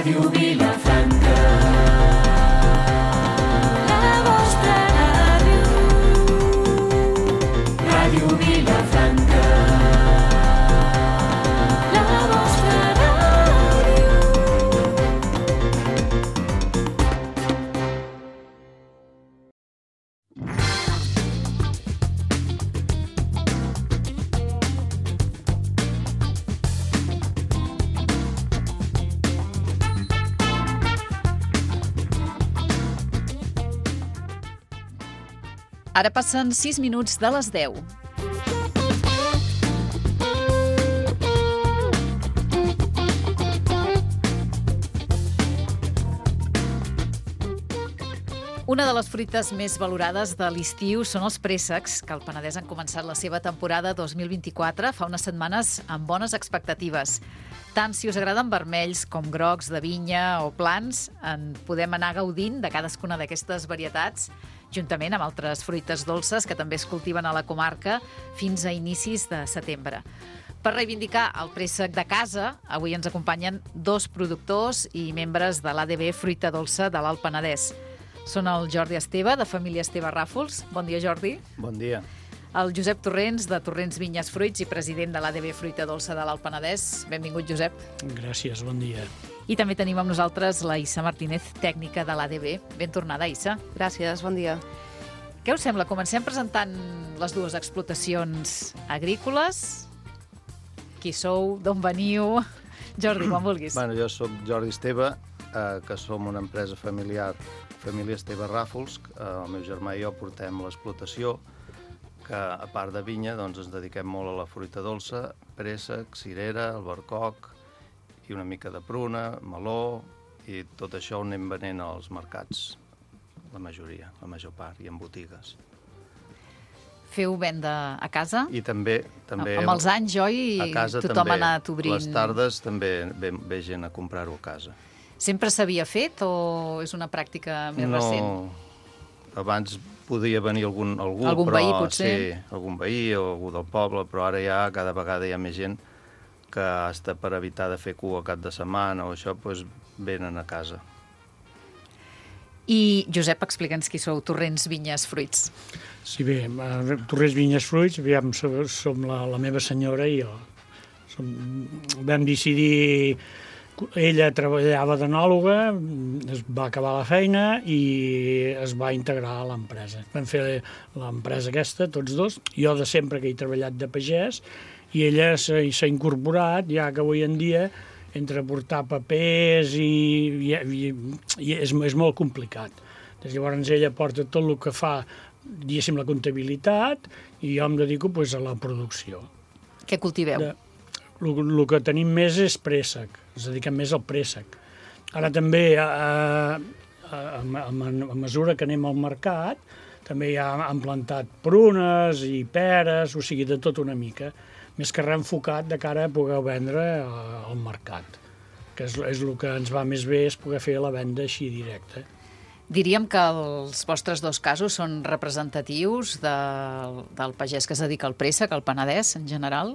Ràdio Vilafranca. La vostra ràdio. Ràdio Vilafranca. La vostra ràdio. Ara passen 6 minuts de les 10. Una de les fruites més valorades de l'estiu són els préssecs, que al Penedès han començat la seva temporada 2024 fa unes setmanes amb bones expectatives. Tant si us agraden vermells com grocs de vinya o plans, en podem anar gaudint de cadascuna d'aquestes varietats, juntament amb altres fruites dolces que també es cultiven a la comarca fins a inicis de setembre. Per reivindicar el préssec de casa, avui ens acompanyen 2 productors i membres de l'ADB Fruita Dolça de l'Alt Penedès. Són el Jordi Esteve, de família Esteve Ràfols. Bon dia, Jordi. Bon dia. El Josep Torrents, de Torrents Vinyes Fruits i president de l'ADB Fruita Dolça de l'Alt Penedès. Benvingut, Josep. Gràcies, bon dia. I també tenim amb nosaltres la Issa Martínez, tècnica de l'ADB. Ben tornada, Issa. Gràcies, bon dia. Què us sembla? Comencem presentant les 2 explotacions agrícoles. Qui sou? D'on veniu? Jordi, quan vulguis. Bueno, jo sóc Jordi Esteve, que som una empresa familiar, família Esteve Ràfols. El meu germà i jo portem l'explotació, que a part de vinya doncs, ens dediquem molt a la fruita dolça, préssec, cirera, albercoc i una mica de pruna, meló, i tot això ho anem venent als mercats, la majoria, la major part, i en botigues. Feu venda a casa? I també amb els anys, oi? A casa tothom també. ha anat obrint. Les tardes també ve gent a comprar-ho a casa. Sempre s'havia fet o és una pràctica més recent? No, abans podia venir algú, Algun però, veí, potser? Sí, algun veí o algú del poble, però ara ja cada vegada hi ha més gent que hasta per evitar de fer cua cap de setmana o això, doncs venen a casa. I, Josep, explica'ns qui sou, Torrents Vinyes Fruits. Sí, bé, Torrents Vinyes Fruits, aviam, som la meva senyora i jo. Vam decidir... Ella treballava d'enòloga, es va acabar la feina i es va integrar a l'empresa. Vam fer l'empresa aquesta, tots 2. Jo de sempre que he treballat de pagès i ella s'ha incorporat, ja que avui en dia, entre portar papers i és molt complicat. Llavors ella porta tot el que fa, diguéssim, la comptabilitat i jo em dedico a la producció. Què cultiveu? El que tenim més és préssec, ens dediquem més al préssec. Ara també, a mesura que anem al mercat, també ja han plantat prunes i peres, o sigui, de tot una mica, més que reenfocat de cara a poder vendre al mercat, que és el que ens va més bé, és poder fer la venda així directa. Diríem que els vostres 2 casos són representatius del pagès que es dedica al préssec, al Penedès, en general?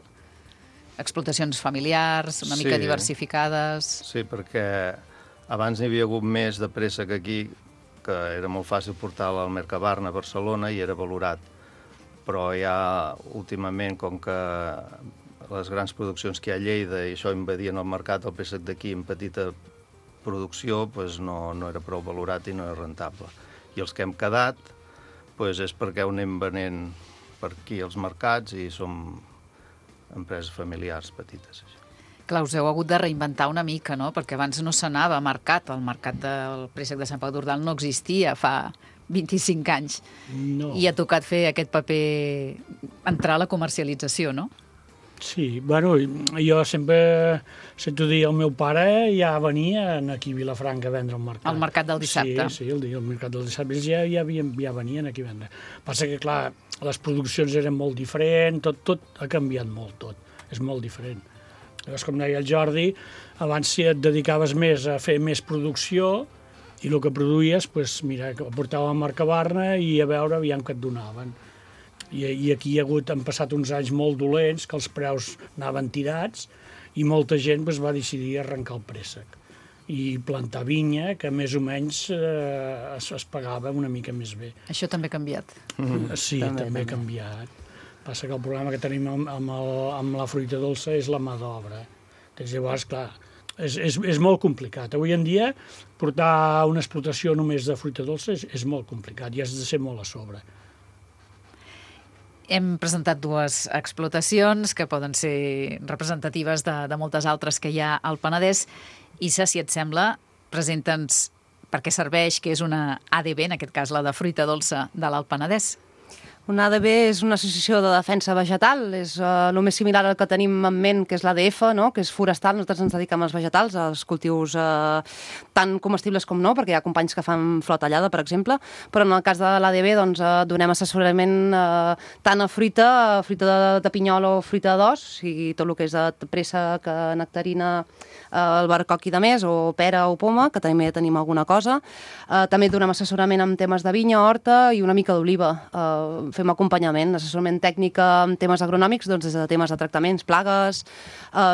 Explotacions familiars, una mica diversificades... Sí, perquè abans n'hi havia hagut més de préssec aquí, que era molt fàcil portar-la al Mercabarna a Barcelona i era valorat. Però ja últimament, com que les grans produccions que hi ha a Lleida i això invadien el mercat, el préssec d'aquí en petita producció doncs no era prou valorat i no era rentable. I els que hem quedat doncs és perquè ho anem venent per aquí als mercats i som empreses familiars petites. Clar, us heu hagut de reinventar una mica, no? Perquè abans no s'anava a mercat. El mercat del préssec de Sant Pau d'Ordal no existia fa 25 anys. No. I ha tocat fer aquest paper, entrar a la comercialització, no? Sí, bueno, jo sempre sento dir, el meu pare ja venia aquí a Vilafranca a vendre al mercat. Al mercat del dissabte. Sí, el mercat del dissabte ja venien aquí a vendre. Passa que, clar, les produccions eren molt diferents, tot ha canviat molt, tot. És molt diferent. Llavors, com deia el Jordi, abans si et dedicaves més a fer més producció i el que produïes, doncs, mira, ho portava a Mercabarna i a veure aviam què et donaven. I aquí han passat uns anys molt dolents, que els preus anaven tirats, i molta gent va decidir arrencar el préssec. i plantar vinya, que més o menys es pagava una mica més bé. Això també ha canviat. Sí, també ha canviat. Passa que el problema que tenim amb la fruita dolça és la mà d'obra. Llavors, clar, és molt complicat. Avui en dia, portar una explotació només de fruita dolça és molt complicat i has de ser molt a sobre. Hem presentat dues explotacions que poden ser representatives de moltes altres que hi ha al Penedès. Issa, si et sembla, presenta'ns per què serveix, que és una ADB, en aquest cas la de fruita dolça de l'Alt Penedès. Una ADB és una associació de defensa vegetal, és el més similar al que tenim en ment, que és l'ADF, no? Que és forestal. Nosaltres ens dediquem als vegetals, als cultius tant comestibles com no, perquè hi ha companys que fan flor tallada, per exemple, però en el cas de l'ADB doncs, donem assessorament tant a fruita de pinyol o fruita d'os, o sigui, tot el que és de préssec, nectarina, albercoc i de més, o pera o poma, que també tenim alguna cosa. També donem assessorament en temes de vinya, horta i una mica d'oliva. Fem acompanyament, assessorament tècnic en temes agronòmics, doncs des de temes de tractaments, plagues,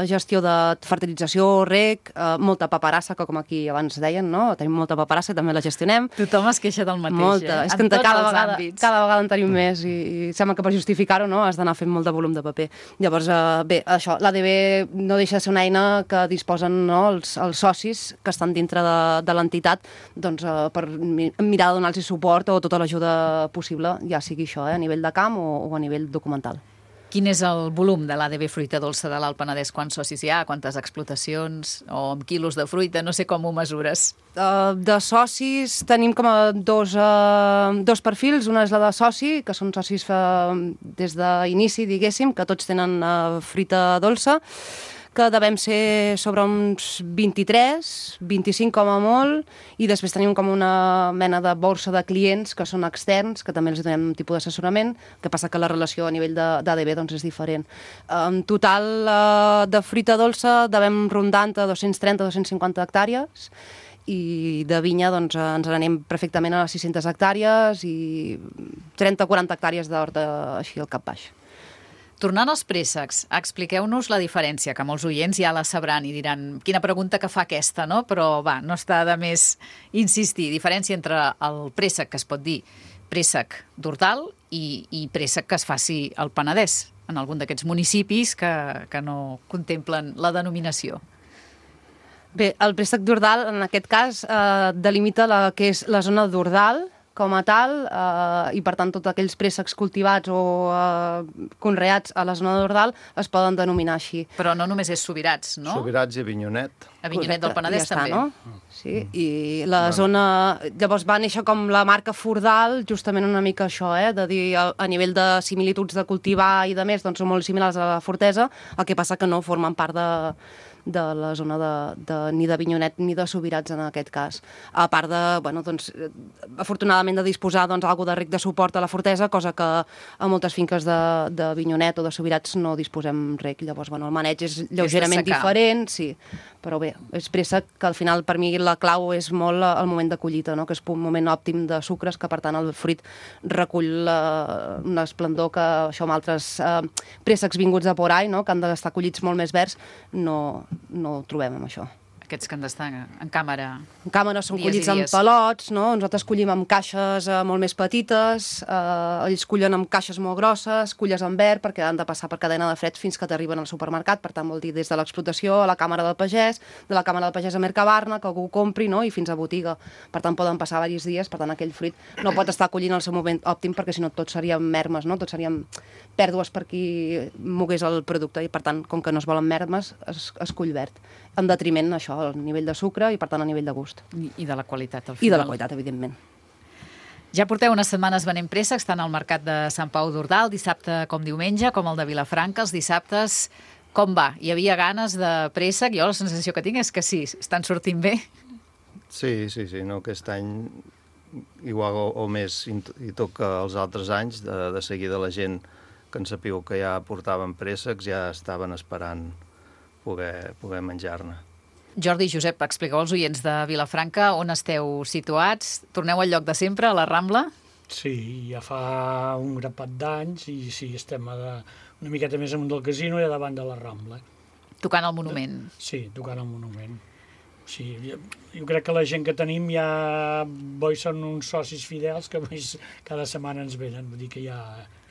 gestió de fertilització, reg, molta paperassa, que com aquí abans deien, no? Tenim molta paperassa i també la gestionem. Tothom es queixa del mateix, molta. És que en tots cada els vegada, àmbits. cada vegada en tenim més i sembla que per justificar-ho no, has d'anar fent molt de volum de paper. Llavors, bé, això, l'ADB no deixa de ser una eina que disposen no, els socis que estan dintre de l'entitat doncs, per mirar de donar-los suport o tota l'ajuda possible, ja sigui això, a nivell de camp o a nivell documental. Quin és el volum de l'ADB Fruita Dolça de l'Alt Penedès? Quants socis hi ha? Quantes explotacions? O amb quilos de fruita? No sé com ho mesures. De socis tenim com a dos perfils. Una és la de soci, que són socis des d'inici, diguéssim, que tots tenen fruita dolça, que devem ser sobre uns 23, 25 com a molt, i després tenim com una mena de borsa de clients que són externs, que també els donem un tipus d'assessorament, que passa que la relació a nivell d'ADB doncs, és diferent. En total de fruita dolça devem rondar entre 230-250 hectàrees, i de vinya doncs, ens n'anem perfectament a les 600 hectàrees i 30-40 hectàrees d'horta així al cap baix. Tornant als préssecs, expliqueu-nos la diferència, que molts oients ja la sabran i diran quina pregunta que fa aquesta, no? Però va, no està de més insistir. Diferència entre el préssec, que es pot dir préssec d'hortal, i préssec que es faci al Penedès, en algun d'aquests municipis que no contemplen la denominació. Bé, el préssec d'hortal, en aquest cas, delimita la que és la zona d'hortal, com a tal, i per tant tots aquells préssecs cultivats o conreats a la zona d'hortal es poden denominar així. Però no només és Subirats, no? Subirats i Avinyonet. Avinyonet del Penedès ja està, també. No? Sí, i la zona... Llavors va néixer com la marca Fordal, justament una mica això, de dir a nivell de similituds de cultivar i de més, doncs són molt similars a la Fortesa, el que passa que no formen part de la zona ni d'Avinyonet ni de Subirats en aquest cas. A part de, bueno, doncs, afortunadament de disposar algo de rec de suport a la Fortesa, cosa que a moltes finques d'Avinyonet o de Subirats no disposem rec. Llavors, bueno, el maneig és lleugerament diferent, sí, però bé, és préssec que al final per mi la clau és molt el moment de collita, no? Que és un moment òptim de sucres, que per tant el fruit recull un esplendor que això amb altres préssecs vinguts de por ahí, no? Que han d'estar collits molt més verds, no ho trobem amb això. Aquests que han d'estar en càmera. En càmera són Dies collits i amb dies. pelots, no? Nosaltres collim amb caixes molt més petites, ells collen amb caixes molt grosses, colles en verd perquè han de passar per cadena de fred fins que t'arriben al supermercat, per tant vol dir des de l'explotació a la càmera del pagès, de la càmera del pagès a Mercabarna, que algú ho compri, no? I fins a botiga. Per tant poden passar diversos dies, per tant aquell fruit no pot estar collint al seu moment òptim perquè si no tot seríem mermes, no? Tot seríem pèrdues per qui mogués el producte i per tant, com que no es volen mermes, es cull verd. En detriment això, al nivell de sucre i per tant a nivell de gust. I de la qualitat, al I final. de la qualitat, evidentment. Ja porteu unes setmanes venent préssecs, tant al mercat de Sant Pau d'Ordal, dissabte com diumenge, com el de Vilafranca, els dissabtes. Com va? Hi havia ganes de préssec? Jo la sensació que tinc és que sí, estan sortint bé. Sí, no, aquest any igual o més i tot que els altres anys, de seguida la gent que en sapíeu que ja portaven préssecs ja estaven esperant poder menjar-ne. Jordi i Josep, expliqueu als oients de Vilafranca on esteu situats. Torneu al lloc de sempre, a la Rambla? Sí, ja fa un grapat d'anys i sí, estem una miqueta més amunt del casino i a davant de la Rambla. Tocant el monument. Sí, tocant el monument. Sí, jo crec que la gent que tenim ja són uns socis fidels que cada setmana ens venen, vull dir que ja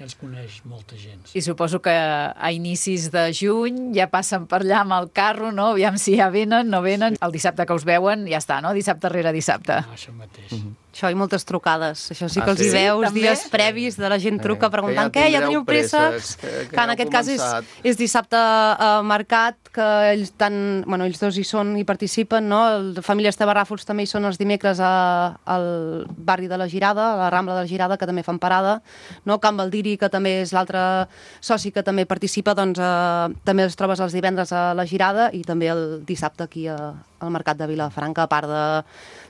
ens coneix molta gent. I suposo que a inicis de juny ja passen per allà amb el carro, no? Aviam si ja venen, no venen. El dissabte que us veuen ja està, no? Dissabte rere dissabte. Això mateix. Això i moltes trucades. Això sí que Ah, els hi sí? veus També? dies previs de la gent truca preguntant que ja què, ja teniu tindreu préssecs? préssecs, que Que en ja heu aquest cas començat. és dissabte a mercat, que ells dos hi són i participen, no? El Família Esteve Ràfols també hi són els dimecres al barri de la Girada, a la Rambla de la Girada, que també fan parada, no? Can Baldiri, que també és l'altre soci que també participa, doncs també els trobes els divendres a la Girada i també el dissabte aquí al mercat de Vilafranca, a part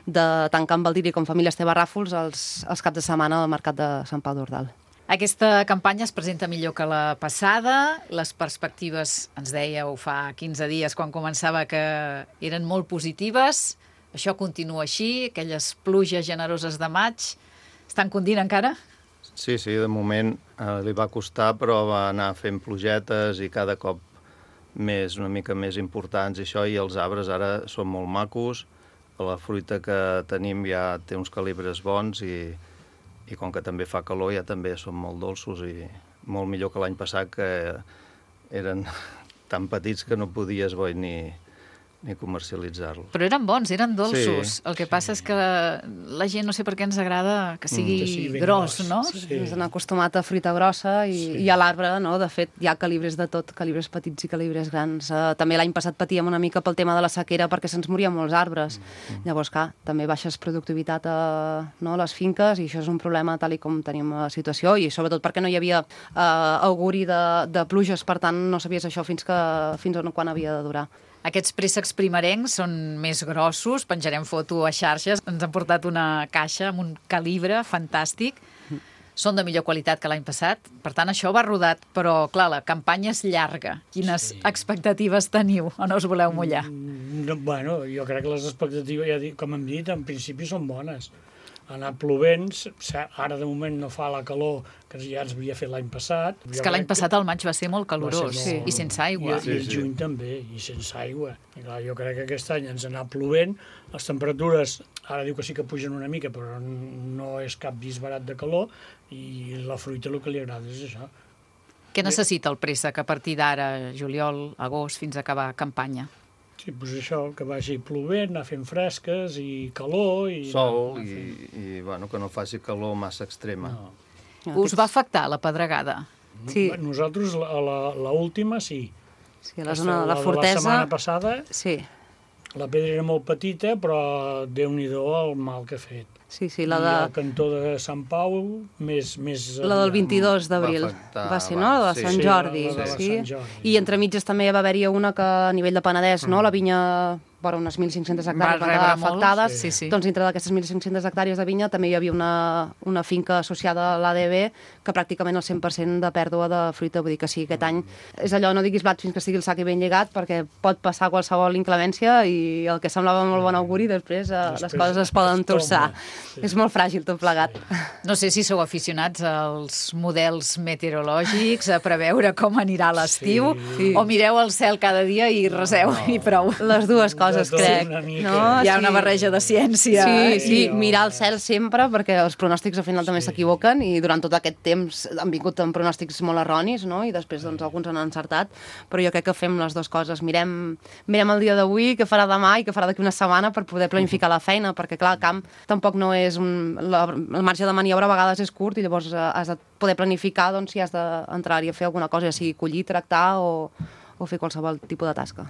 de tant Can Baldiri com Família Esteve Ràfols, els caps de setmana al mercat de Sant Pau d'Ordal. Aquesta campanya es presenta millor que la passada. Les perspectives, ens dèieu fa 15 dies, quan començava, que eren molt positives. Això continua així, aquelles pluges generoses de maig. Estan condint encara? Sí, de moment li va costar, però va anar fent plugetes i cada cop una mica més importants i això, i els arbres ara són molt macos. La fruita que tenim ja té uns calibres bons i com que també fa calor ja també són molt dolços i molt millor que l'any passat, que eren tan petits que no podies ni comercialitzar-los. Però eren bons, eren dolços. Sí, El que passa és que la gent no sé per què ens agrada que sigui, que sigui ben gros, gros. no? Sí. Ens han acostumat a fruita grossa i a l'arbre, no? De fet, hi ha calibres de tot, calibres petits i calibres grans. També l'any passat patíem una mica pel tema de la sequera perquè se'ns morien molts arbres. Llavors, clar, també baixes productivitat a les finques i això és un problema tal i com tenim la situació i sobretot perquè no hi havia auguri de pluges, per tant no sabies això fins on quan havia de durar. Aquests préssecs primerencs són més grossos, penjarem foto a xarxes. Ens han portat una caixa amb un calibre fantàstic. Són de millor qualitat que l'any passat. Per tant, això va rodat, però, clar, la campanya és llarga. Quines expectatives teniu o no us voleu mullar? Bueno, jo crec que les expectatives, ja com hem dit, en principi són bones. Ha anat plovent, ara de moment no fa la calor que ja ens havia fet l'any passat. És que l'any passat el maig va ser molt calorós i sense aigua. I el juny també, i sense aigua. I clar, jo crec que aquest any ens ha anat plovent, les temperatures, ara diu que sí que pugen una mica, però no és cap disbarat de calor, i la fruita el que li agrada és això. Què necessita el préssec a partir d'ara, juliol, agost, fins a acabar campanya? Sí, doncs això, que vagi plovent, anar fent fresques i calor... I Sol i bueno, que no faci calor massa extrema. No. Us va afectar la pedregada? Sí. Nosaltres, l'última, sí. Sí, a la zona de la Fortesa... La setmana passada, Sí, la pedra era molt petita, però Déu-n'hi-do el mal que ha fet. sí, I el cantó de Sant Pau, més... La del 22 d'abril, afectar va ser, no? La de abans, Sant sí. Jordi. la de Sí. Sant Jordi. I entremitges també va haver-hi una que a nivell de Penedès, no? La vinya, vora unes 1.500 hectàrees van rebre quedar molt, afectades. sí. Doncs dintre d'aquestes 1.500 hectàrees de vinya també hi havia una finca associada a l'ADB que pràcticament el 100% de pèrdua de fruita. Vull dir que sí, aquest any és allò, no diguis blat fins que estigui el sac ben lligat, perquè pot passar qualsevol inclemència i el que semblava molt bon auguri després les coses es poden torçar. Sí. És molt fràgil tot plegat. No sé si sou aficionats als models meteorològics, a preveure com anirà l'estiu, Sí. o mireu el cel cada dia i reseu i prou. Les dues coses, tot crec. una mica. No? Hi ha una barreja de ciència. Sí, mirar el cel sempre, perquè els pronòstics al final també s'equivoquen i durant tot aquest temps han vingut amb pronòstics molt erronis, no? I després doncs, alguns han encertat, però jo crec que fem les dues coses. Mirem el dia d'avui, què farà demà i què farà d'aquí una setmana per poder planificar la feina, perquè clar, el camp tampoc no és el marge de maniobra a vegades és curt i llavors has de poder planificar doncs, si has d'entrar-hi a fer alguna cosa, ja sigui collir, tractar o fer qualsevol tipus de tasca.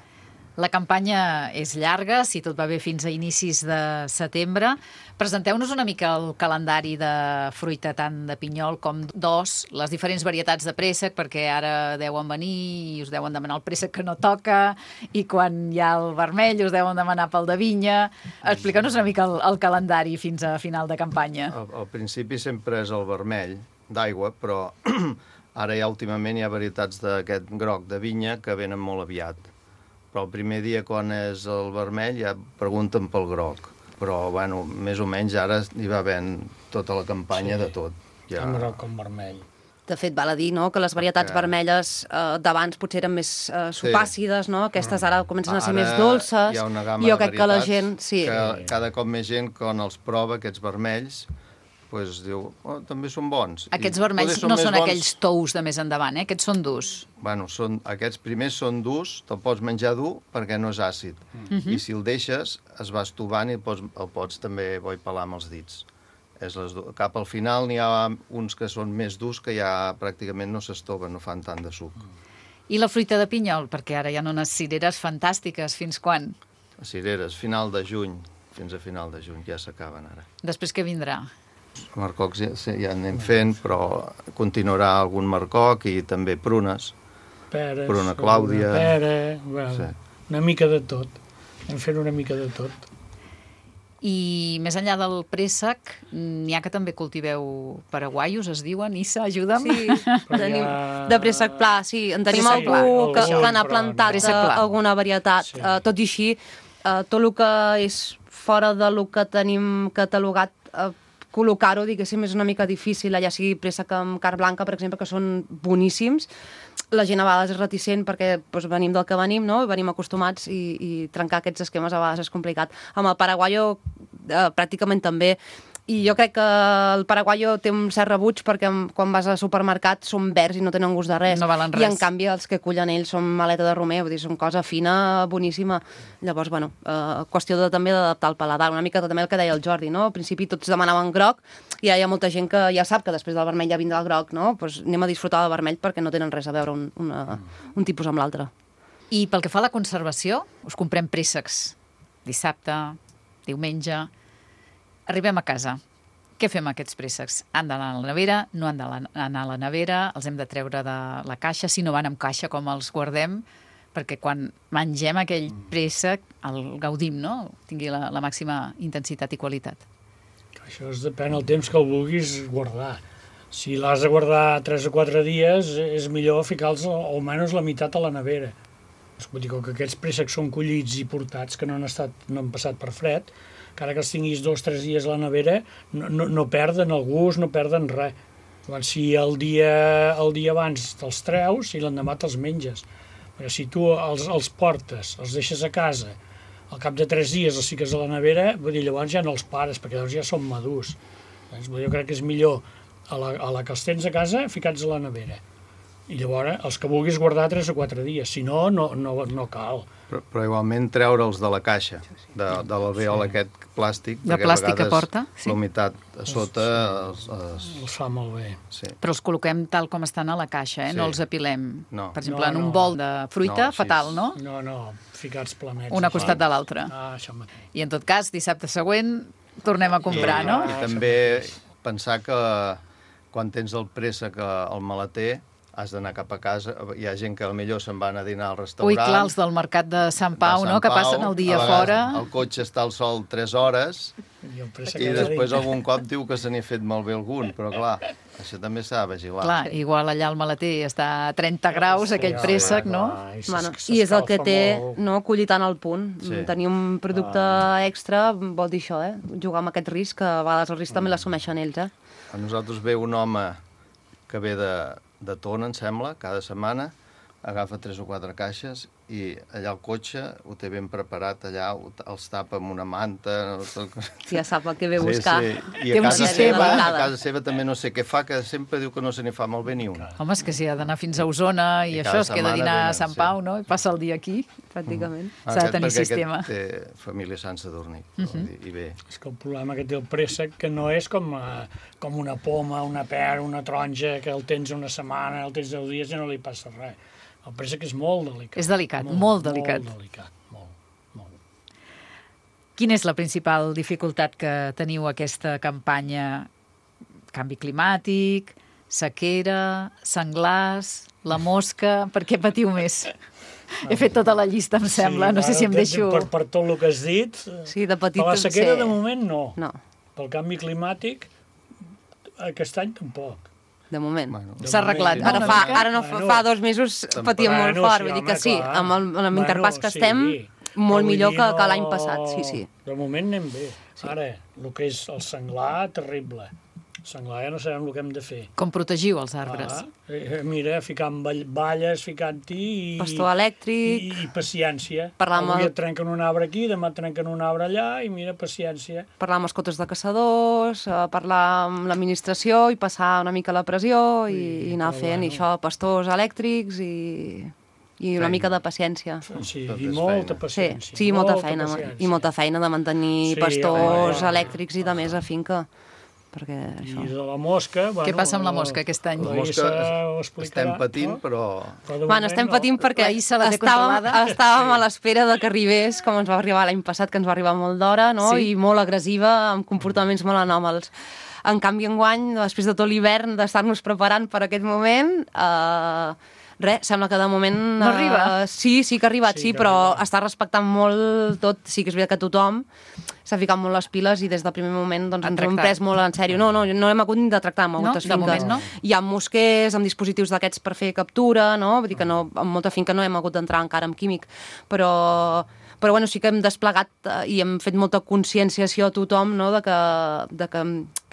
La campanya és llarga, si tot va bé fins a inicis de setembre. Presenteu-nos una mica el calendari de fruita tant de pinyol com d'os, les diferents varietats de préssec, perquè ara deuen venir i us deuen demanar el préssec que no toca, i quan hi ha el vermell us deuen demanar pel de vinya. Expliqueu-nos una mica el calendari fins a final de campanya. Al principi sempre és el vermell d'aigua, però ara ja últimament hi ha varietats d'aquest groc de vinya que venen molt aviat. Però el primer dia, quan és el vermell, ja pregunten pel groc. Però, bueno, més o menys ara hi va havent tota la campanya de tot. Tant groc com vermell. De fet, val a dir, no?, que les varietats vermelles d'abans potser eren més supàcides, no? Aquestes ara comencen a ser més dolces. Hi ha una gamma jo de crec que la varietats gent... Sí. que cada cop més gent, quan els prova, aquests vermells, pues, diu, també són bons. Aquests vermells no són aquells tous de més endavant, Aquests són durs. Bueno, aquests primers són durs, te'l pots menjar dur perquè no és àcid. I si el deixes, es va estovant i el pots també pelar amb els dits. Cap al final n'hi ha uns que són més durs que ja pràcticament no s'estoven, no fan tant de suc. I la fruita de pinyol, perquè ara hi ha unes cireres fantàstiques. Fins quan? Les cireres, final de juny, fins a final de juny, ja s'acaben ara. Després què vindrà? Marcocs ja anem fent, però continuarà algun marcoc i també prunes. Peres, Pruna Clàudia. Pera, una mica de tot. Hem fet una mica de tot. I més enllà del préssec, n'hi ha que també cultiveu paraguaios, es diuen, Issa, ajuda'm. Sí, tenim de préssec pla, sí. En tenim Préssec algú pla, que n'ha plantat Préssec pla. alguna varietat. Sí. Tot i així, tot el que és fora del que tenim catalogat, col·locar-ho, diguéssim, és una mica difícil, allà sigui préssec amb carn blanca, per exemple, que són boníssims. La gent a vegades és reticent perquè venim del que venim, no? Venim acostumats i trencar aquests esquemes a vegades és complicat. Amb el paraguayo pràcticament també. I jo crec que el paraguayo té un cert rebuig perquè quan vas al supermercat són verds i no tenen gust de res. No valen res. I en canvi els que cullen ells són maleta de romer, vull dir, són cosa fina, boníssima. Llavors, bueno, qüestió també d'adaptar el paladar. Una mica també el que deia el Jordi, no? Al principi tots demanaven groc i hi ha molta gent que ja sap que després del vermell ja vindrà el groc, no? Pues anem a disfrutar del vermell perquè no tenen res a veure un tipus amb l'altre. I pel que fa a la conservació, us comprem préssecs dissabte, diumenge. Arribem a casa. Què fem amb aquests préssecs? Han d'anar a la nevera? No han d'anar a la nevera? Els hem de treure de la caixa? Si no van amb caixa, com els guardem? Perquè quan mengem aquell préssec el gaudim, no? Tingui la màxima intensitat i qualitat. Això depèn del temps que el vulguis guardar. Si l'has de guardar 3 o 4 dies, és millor ficar-los almenys la meitat a la nevera. Vull dir que aquests préssecs són collits i portats, que no han passat per fred, encara que els tinguis 2 o 3 dies a la nevera, no perden el gust, no perden res. Llavors, si el dia abans te'ls treus i l'endemà te'ls menges. Perquè si tu els portes, els deixes a casa, al cap de 3 dies els fiques a la nevera, vull dir, llavors ja no els pares, perquè llavors ja són madurs. Llavors, jo crec que és millor a la que els tens a casa, ficats a la nevera. I llavors, els que vulguis guardar 3 o 4 dies, si no, no cal. Però igualment treure'ls de la caixa, de l'alveol aquest plàstic. De plàstic que porta, sí. La humitat a sota... Els fa molt bé. Sí. Però els col·loquem tal com estan a la caixa, Sí. No els apilem. No. Per exemple, en No, un no. bol de fruita, No, sí. fatal, no? No, ficats planets. Un a costat de l'altre. Això mateix. I en tot cas, dissabte següent tornem a comprar, no? I també pensar que quan tens el préssec al maleter, has d'anar cap a casa. Hi ha gent que potser se'n van a dinar al restaurant. Ui, clar, els del mercat de Sant Pau, no?, que passen el dia a vegades fora. El cotxe està al sol 3 hores I el préssec i allà després dintre. algun cop diu que se n'hi ha fet malbé algun, però clar, això també s'ha de vigilar. Clar, igual allà al maleter està a 30 graus, aquell préssec, no? Bueno, i és el que té, no?, collir tant al punt. Sí. Tenir un producte extra vol dir això, jugar amb aquest risc, que a vegades el risc també l'assumeixen ells, A nosaltres ve un home que ve de Tona, em sembla, cada setmana, agafa 3 o 4 caixes i allà al cotxe ho té ben preparat, allà els tapa amb una manta... Ja sap el que ve a buscar. Sí. I Té a un casa, sistema. seva, a casa seva també no sé què fa, que sempre diu que no se n'hi fa malbé ni un. Home, és que si ha d'anar fins a Osona i I això, cada es queda a setmana dinar a venen, Sant sí. Pau, no? I passa el dia aquí. Pràcticament. S'ha de tenir Perquè sistema. Aquest té família Sant Sadurní, i bé. És que el problema que té el préssec que no és com una poma, una pera, una taronja, que el tens una setmana, el tens 10 dies i no li passa res. El préssec és molt delicat. És delicat, molt delicat. Molt delicat, molt. Quina és la principal dificultat que teniu aquesta campanya? Canvi climàtic, sequera, senglars, la mosca... Per què patiu més? He fet tota la llista, em sembla. No sé si em deixo... Per tot el que has dit, Sí, de petit... per la sequera sí. de moment no. No, Pel canvi climàtic, aquest any tampoc. de moment. Bueno, S'ha arreglat, no? Ara Una fa, mica? ara no fa 2 mesos patíem molt fort, vull dir que sí, amb l'interpàs que estem, molt millor que l'any passat, sí. De moment anem bé. Ara, el que és el senglar, terrible. senglar ja no sabem el que hem de fer. Com protegiu els arbres? Mira, ficant balles, ficant-hi... Pastor elèctric... I paciència. Parlar Avui et trenquen un arbre aquí, demà et trenquen un arbre allà, i mira, paciència. Parlar amb els cotes de caçadors, parlar amb l'administració i passar una mica la pressió i anar fent això, pastors elèctrics i una mica de paciència. Sí, Tot i és molta feina. paciència. Sí, molta feina. paciència. I molta feina de mantenir Sí, pastors home, elèctrics i de més a finca. Perquè això... I de la mosca... Bueno, Què passa amb la mosca aquest any? La La mosca Issa ho explicarà, estem patint, no? però... Però de Bueno, moment estem no. patint perquè La Issa la té controlada. estàvem a l'espera de que arribés, com ens va arribar l'any passat, que ens va arribar molt d'hora, no? Sí. I molt agressiva, amb comportaments molt anòmals. En canvi, enguany, després de tot l'hivern, d'estar-nos preparant per aquest moment, sembla que de moment... No arriba? Sí que ha arribat, Sí sí, que però arriba. està respectant molt tot. Sí que és veritat que tothom s'ha ficat molt les piles i des del primer moment doncs, Han ens ho hem tractat. pres molt en sèrio. No hem hagut ni de tractar amb No, moltes de finques. moment no. Hi ha mosquers amb dispositius d'aquests per fer captura, no? Vull dir que no, en molta finca no hem hagut d'entrar encara amb químic, però bueno, sí que hem desplegat i hem fet molta conscienciació a tothom, no? de que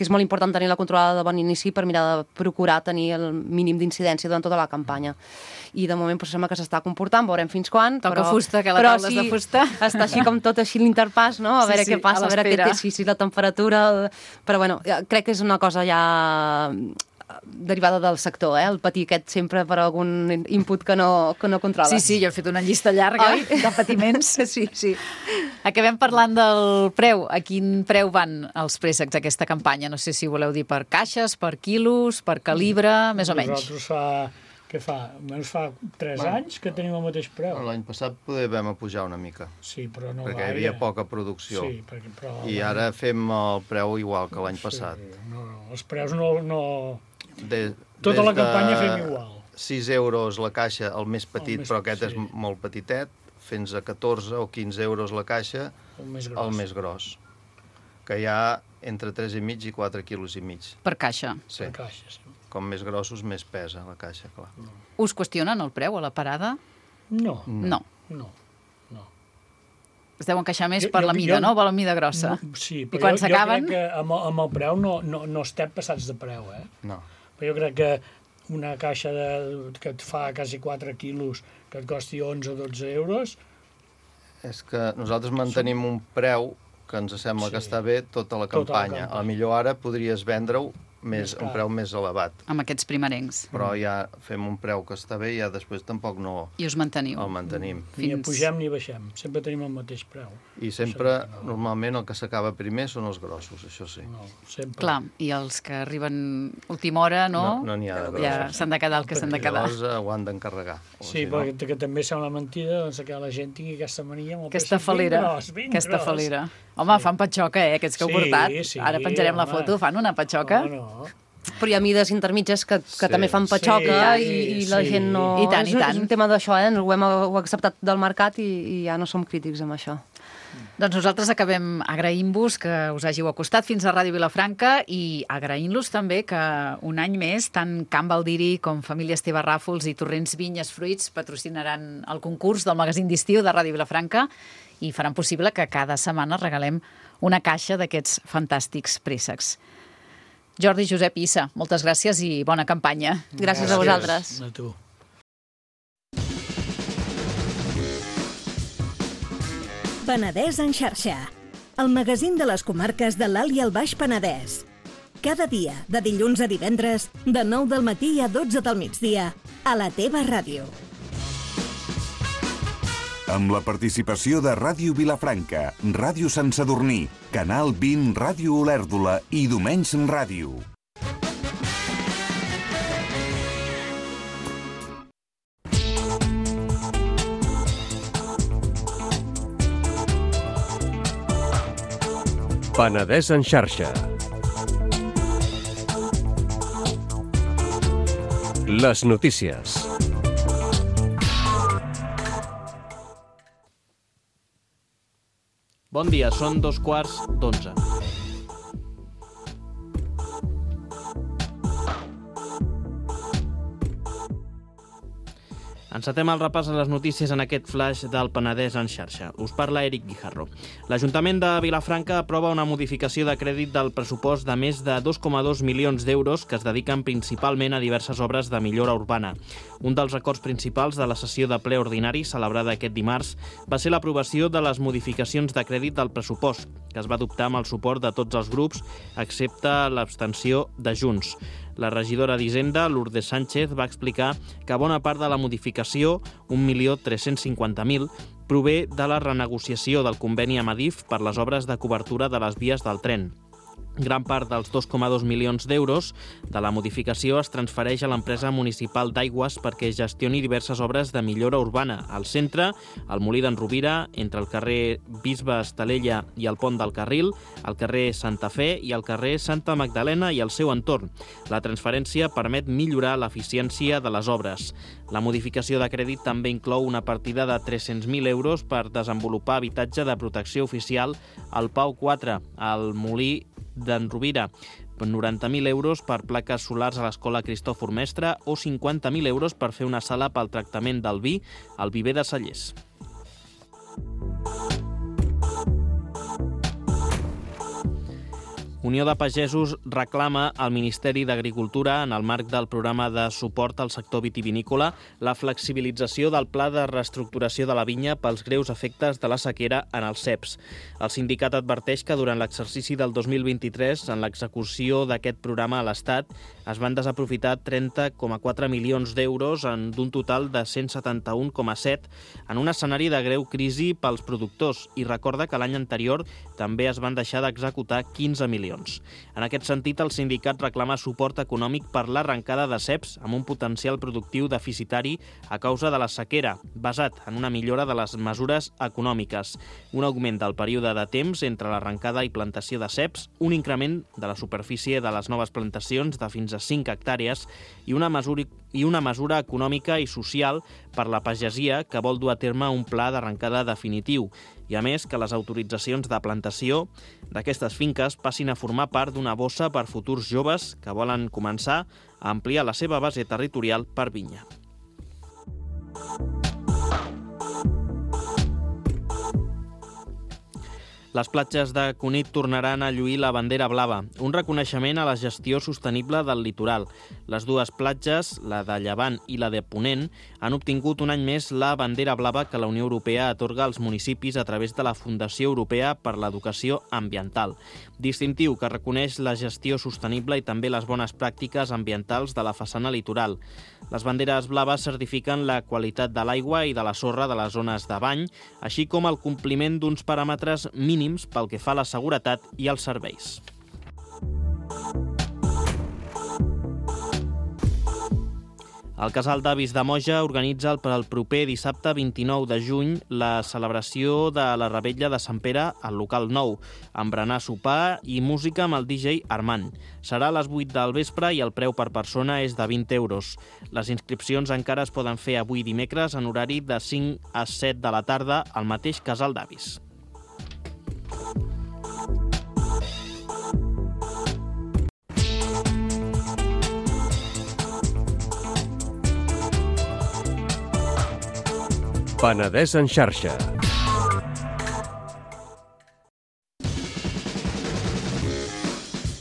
és molt important tenir la controlada de bon inici per mirar de procurar tenir el mínim d'incidència durant tota la campanya. I de moment sembla que s'està comportant, veurem fins quan. Toca fusta, que la taula és de fusta. Està així com tot així l'interpàs, no? A Sí, veure sí, què passa, a a veure l'espera. si la temperatura... Però bueno, crec que és una cosa ja derivada del sector, el patir aquest sempre per algun input que no controles. Sí, jo he fet una llista llarga de patiments. Sí. Acabem parlant del preu. A quin preu van els préssecs aquesta campanya? No sé si voleu dir per caixes, per quilos, per calibre, més o menys. Nosaltres almenys fa 3 anys que tenim el mateix preu. L'any passat poder vam pujar una mica, Sí, però no perquè hi gaire. havia poca producció. Sí, però... I ara fem el preu igual que l'any passat. No, els preus no... Des Tota la de campanya fem igual. 6 euros la caixa, el més petit, més però aquest petit, és molt petitet, fins a 14 o 15 euros la caixa, El més gros. el més gros, que hi ha entre 3,5 i 4 quilos i mig. Per caixa. Sí. La caixa, sí. Com més grossos, més pesa la caixa, clar. Us qüestionen el preu a la parada? No. No. Es deuen queixar més Jo- per jo- la mida, jo- no? Per la mida grossa. Sí, I però quan jo s'acaben... crec que amb el preu no estem passats de preu, eh? No. Però jo crec que una caixa que et fa quasi 4 quilos, que et costi 11 o 12 euros, És que nosaltres mantenim un preu que ens sembla que Sí. està bé tota la Tota la campanya. campanya. A la millor ara podries vendre-ho Més car. un preu més elevat, Amb aquests primerencs. però ja fem un preu que està bé i ja després tampoc no I us manteniu. el mantenim. ni Fins- pugem ni baixem. Sempre tenim el mateix preu. I sempre, normalment, el que s'acaba primer són els grossos, això sí. No, sempre. Clar, i els que arriben última hora, no? No n'hi ha de Ja grossos. s'han de quedar el que s'han de quedar. Llavors ho han d'encarregar. O Sí, si no- perquè que també sembla mentida doncs, que la gent tingui aquesta mania amb el Aquesta peixos ben falera. gros, ben Aquesta gros. falera. Home, fan patxoca, aquests que heu Sí, portat. sí, Ara penjarem la home. foto, fan una patxoca. No. Però hi ha mides intermitges que Sí. també fan patxoca Sí, i la sí. gent no... I tant, i tant. És un tema d'això, ho hem acceptat del mercat i ja no som crítics amb això. Doncs nosaltres acabem agraint-vos que us hàgiu acostat fins a Ràdio Vilafranca i agraint-los també que un any més tant Can Baldiri com Família Esteve Ràfols i Torrents Vinyes Fruits patrocinaran el concurs del magazín d'estiu de Ràdio Vilafranca i faran possible que cada setmana regalem una caixa d'aquests fantàstics préssecs. Jordi, Josep i Issa, moltes gràcies i bona campanya. Gràcies a vosaltres. A tu. Penedès en xarxa, el magazín de les comarques de l'Alt i el Baix Penedès. Cada dia, de dilluns a divendres, de 9 del matí a 12 del migdia, a la teva ràdio. Amb la participació de Ràdio Vilafranca, Ràdio Sant Sadurní, Canal 20 Ràdio Olèrdola i Domenys Ràdio. Penedès en xarxa. Les notícies. Bon dia, són 2:15. Encetem el repàs a les notícies en aquest flash del Penedès en xarxa. Us parla Eric Guijarro. L'Ajuntament de Vilafranca aprova una modificació de crèdit del pressupost de més de 2,2 milions d'euros que es dediquen principalment a diverses obres de millora urbana. Un dels acords principals de la sessió de ple ordinari celebrada aquest dimarts va ser l'aprovació de les modificacions de crèdit del pressupost, que es va adoptar amb el suport de tots els grups, excepte l'abstenció de Junts. La regidora d'Hisenda, Lourdes Sánchez, va explicar que bona part de la modificació, 1.350.000, prové de la renegociació del conveni amb Adif per les obres de cobertura de les vies del tren. Gran part dels 2,2 milions d'euros de la modificació es transfereix a l'empresa municipal d'Aigües perquè gestioni diverses obres de millora urbana al centre, al Molí d'en Rovira, entre el carrer Bisbe Estalella i el Pont del Carril, al carrer Santa Fe i al carrer Santa Magdalena i el seu entorn. La transferència permet millorar l'eficiència de les obres. La modificació de crèdit també inclou una partida de 300.000 euros per desenvolupar habitatge de protecció oficial al Pau 4, al Molí d'en Rovira, 90.000 euros per plaques solars a l'Escola Cristòfor Mestre o 50.000 euros per fer una sala pel tractament del vi al Viver de Cellers. Unió de Pagesos reclama al Ministeri d'Agricultura, en el marc del programa de suport al sector vitivinícola, la flexibilització del pla de reestructuració de la vinya pels greus efectes de la sequera en els ceps. El sindicat adverteix que durant l'exercici del 2023, en l'execució d'aquest programa a l'Estat, es van desaprofitar 30,4 milions d'euros d'un total de 171,7 en un escenari de greu crisi pels productors i recorda que l'any anterior també es van deixar d'executar 15 milions. En aquest sentit, el sindicat reclama suport econòmic per l'arrencada de ceps amb un potencial productiu deficitari a causa de la sequera, basat en una millora de les mesures econòmiques, un augment del període de temps entre l'arrencada i plantació de ceps, un increment de la superfície de les noves plantacions de fins a 5 hectàrees i una mesura econòmica i social per la pagesia que vol dur a terme un pla d'arrencada definitiu i, a més, que les autoritzacions de plantació d'aquestes finques passin a formar part d'una bossa per futurs joves que volen començar a ampliar la seva base territorial per vinya. Les platges de Cunit tornaran a lluir la bandera blava, un reconeixement a la gestió sostenible del litoral. Les dues platges, la de Llevant i la de Ponent, han obtingut un any més la bandera blava que la Unió Europea atorga als municipis a través de la Fundació Europea per l'Educació Ambiental. Distintiu que reconeix la gestió sostenible i també les bones pràctiques ambientals de la façana litoral. Les banderes blaves certifiquen la qualitat de l'aigua i de la sorra de les zones de bany, així com el compliment d'uns paràmetres mínims pel que fa a la seguretat i als serveis. El Casal d'Avis de Moja organitza per al proper dissabte 29 de juny la celebració de la Revetlla de Sant Pere al local nou, amb berenar, sopar i música amb el DJ Armand. Serà a les 8 del vespre i el preu per persona és de 20 euros. Les inscripcions encara es poden fer avui dimecres en horari de 5 a 7 de la tarda al mateix Casal d'Avis. Penedès en xarxa.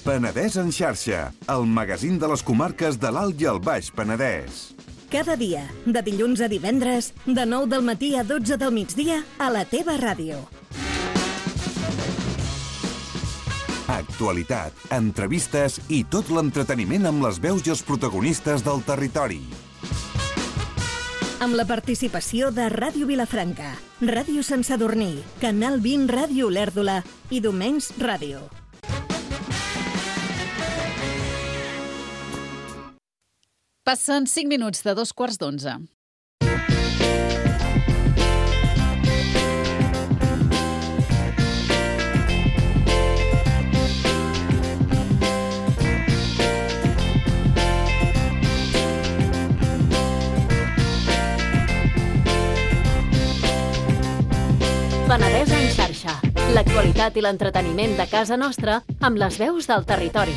Penedès en xarxa, el magazín de les comarques de l'Alt i el Baix Penedès. Cada dia, de dilluns a divendres, de 9 del matí a 12 del migdia, a la teva ràdio. Actualitat, entrevistes i tot l'entreteniment amb les veus i els protagonistes del territori. Amb la participació de Ràdio Vilafranca, Ràdio Sant Sadurní, Canal 20 Ràdio Olèrdola i Domenys Ràdio. Passen 5 minuts de 2:15. Penedès en xarxa. L'actualitat i l'entreteniment de casa nostra amb les veus del territori.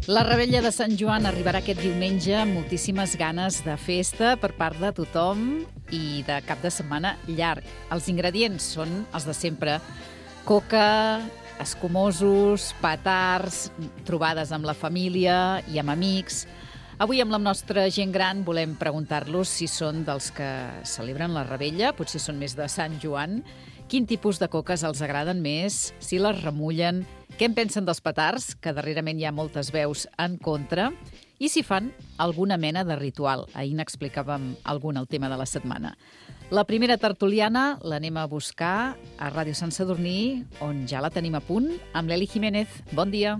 La Revetlla de Sant Joan arribarà aquest diumenge amb moltíssimes ganes de festa per part de tothom i de cap de setmana llarg. Els ingredients són els de sempre. Coca, escumosos, petards, trobades amb la família i amb amics. Avui amb la nostra gent gran volem preguntar-los si són dels que celebren la Revetlla, potser són més de Sant Joan, quin tipus de coques els agraden més, si les remullen, què en pensen dels petards, que darrerament hi ha moltes veus en contra, i si fan alguna mena de ritual. Ahir n'explicàvem algun al tema de la setmana. La primera tertuliana l'anem a buscar a Ràdio Sant Sadurní, on ja la tenim a punt, amb l'Eli Jiménez. Bon dia.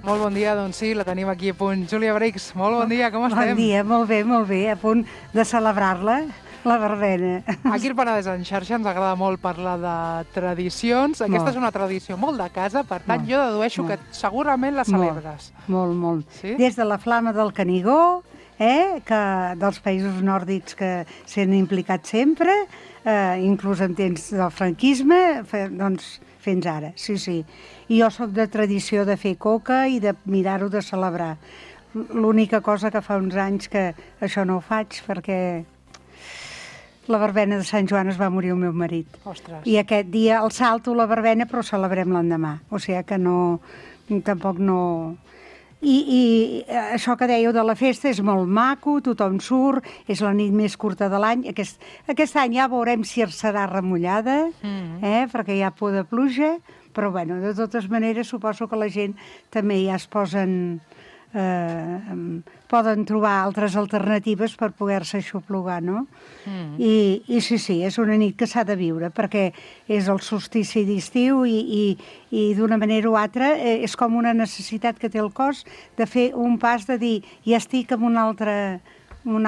Molt bon dia, doncs sí, la tenim aquí a punt. Júlia Brix, molt bon dia, com estem? Bon dia, molt bé, a punt de celebrar-la, la verbena. Aquí al Penedès en xarxa ens agrada molt parlar de tradicions. Aquesta és una tradició molt de casa, per tant, jo dedueixo que segurament la celebres. Molt. Sí? Des de la flama del Canigó, que dels països nòrdics que s'han implicat sempre, inclús en temps del franquisme, doncs fins ara, sí. I jo sóc de tradició de fer coca i de mirar-ho de celebrar. L'única cosa que fa uns anys que això no ho faig perquè la verbena de Sant Joan es va morir el meu marit. Ostres. I aquest dia el salto la verbena però celebrem l'endemà. O sigui que tampoc no... I això que dèieu de la festa és molt maco, tothom surt, és la nit més curta de l'any. Aquest any ja veurem si serà remullada, perquè hi ha por de pluja, però bueno, de totes maneres suposo que la gent també ja es posen... poden trobar altres alternatives per poder-se aixoplugar, no? I sí, és una nit que s'ha de viure, perquè és el solstici d'estiu i d'una manera o altra és com una necessitat que té el cos de fer un pas de dir ja estic en una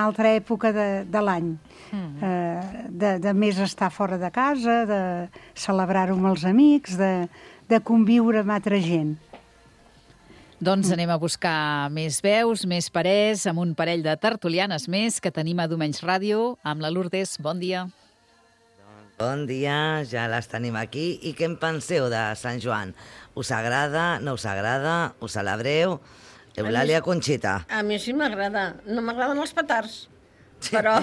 altra època de l'any, de més estar fora de casa, de celebrar-ho amb els amics, de conviure amb altra gent. Doncs anem a buscar més veus, més parers, amb un parell de tertulianes més que tenim a Domenys Ràdio, amb la Lourdes. Bon dia. Bon dia, ja les tenim aquí. I què en penseu de Sant Joan? Us agrada, no us agrada, us celebreu? Eulàlia Conxita. A mi sí m'agrada. No m'agraden els petards, però